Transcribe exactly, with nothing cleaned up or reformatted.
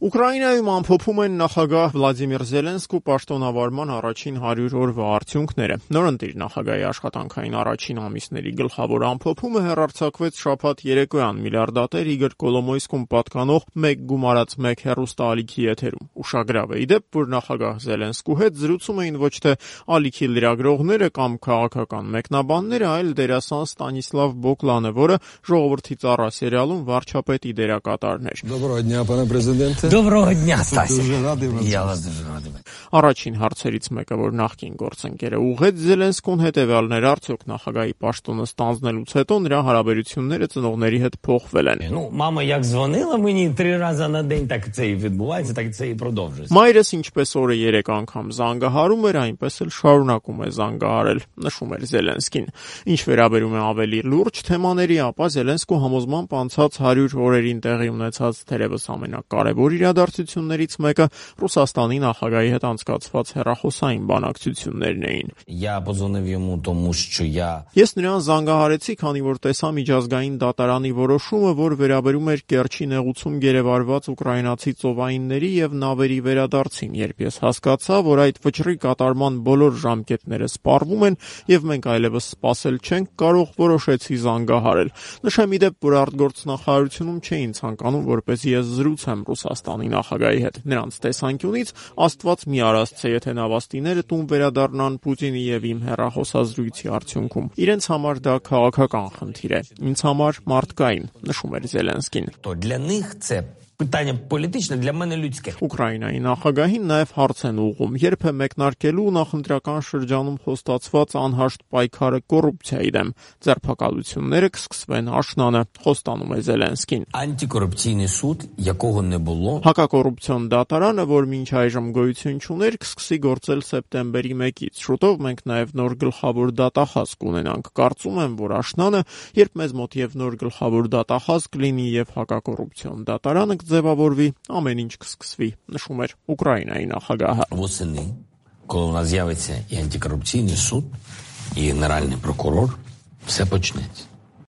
Ուկրաինայում ամփոփում են նախագահ Վլադիմիր Զելենսկու պաշտոնավարման առաջին հարյուր օրվա արդյունքները։ Նորընտիր նախագահի աշխատանքային առաջին ամիսների գլխավոր ամփոփումը հեռարձակվեց շաբաթ երեկոյան միլիարդատեր Իգոր Կոլոմոյսկուն պատկանող մեկ գումարած մեկ հեռուստաալիքի եթերում։ Ուշագրավ է ի դեպ, որ նախագահ Զելենսկու հետ զրուցում էին ոչ թե ալիքի լրագրողները կամ քաղաքական մեկնաբանները, այլ դերասան Ստանիսլավ Բոկլանը, որը Ժողովրդի ծառա սերիալում վարչապետի դերակատարն էր։ Доброго дня, пане президенте. Доброго дня, Стася. Дуже радий вас. Я вас дуже радий. Առաջին հարցերից մեկը, որ նախկին գործընկերը ուղղեց Զելենսկուն, հետևյալն էր, արդյոք նախագահի պաշտոնը ստանձնելուց հետո նրա հարաբերությունները ծնողների հետ փոխվել են։ Ну, мама як дзвонила мені три рази на день, так це і відбувається, так це і продовжується. Մայրս ինչպես օրը երեք անգամ զանգահարում էր, այնպես էլ շարունակում է զանգահարել, նշում էր Զելենսկին։ Ինչ վերաբերում է ավելի լուրջ թեմաների, ապա Զելենսկու համոզմամբ անցած հարյուր օրերին տեղի ունեցած թերևս ամենակարևոր իրադարձություններից մեկը Ռուսաստանի նախագահի հետ անցկացված հեռախոսային բանակցություններն էին։ Я подзвонив йому, тому що я Ես նրան զանգահարեցի, քանի որ տեսա միջազգային դատարանի որոշումը, որ վերաբերում էր Կերչի նեղուցում գերեվարված ուկրաինացի ծովայինների եւ նավերի վերադարձին, երբ ես հասկացա, որ այդ վճռի կատարման բոլոր ժամկետները սպառվում են եւ մենք այլևս սպասել չենք կարող, որոշեցի զանգահարել։ Նշեմ ի դեպ, որ արտգործնախարարությունում չէին ցանկանում, որպեսզի ես զրուցեմ Ռուսաստանի նախագահի հետ։ Նրանց տեսանկյունից Աստված մի արասցե, եթե նավաստիները տուն վերադառնան Պուտինի եւ իմ հեռախոսազրույցի արդյունքում։ Իրենց համար դա քաղաքական խնդիր է, ինձ համար մարդկային, նշում էր Զելենսկին։ то для них це питання політичне, для мене людське. Ուկրաինայի նախագահին նաև հարց են ուղղում, երբ է մեկնարկելու նախընտրական շրջանում խոստացված անհաշտ պայքարը կոռուպցիայի դեմ։ Ձերբակալությունները կսկսվեն աշնանը, խոստանում է Զելենսկին։ Антикорупційний суд, якого не було. Հակակոռուպցիոն դատարանը, որ մինչ այժմ գոյություն չուներ, կսկսի գործել սեպտեմբերի մեկից։ Շուտով մենք նաև նոր գլխավոր դատախազ կունենանք։ Կարծում եմ, որ աշնանը, երբ մեզ мот եւ նոր գլխավոր դատախազ կլինի եւ հակակոռուպցիոն դատարանը ձևավորվի, ամեն ինչ կսկսվի, նշում էր Ուկրաինայի նախագահը։ Восени, коли у нас з'явиться і антикорупційний суд, і генеральний прокурор, все почнеться.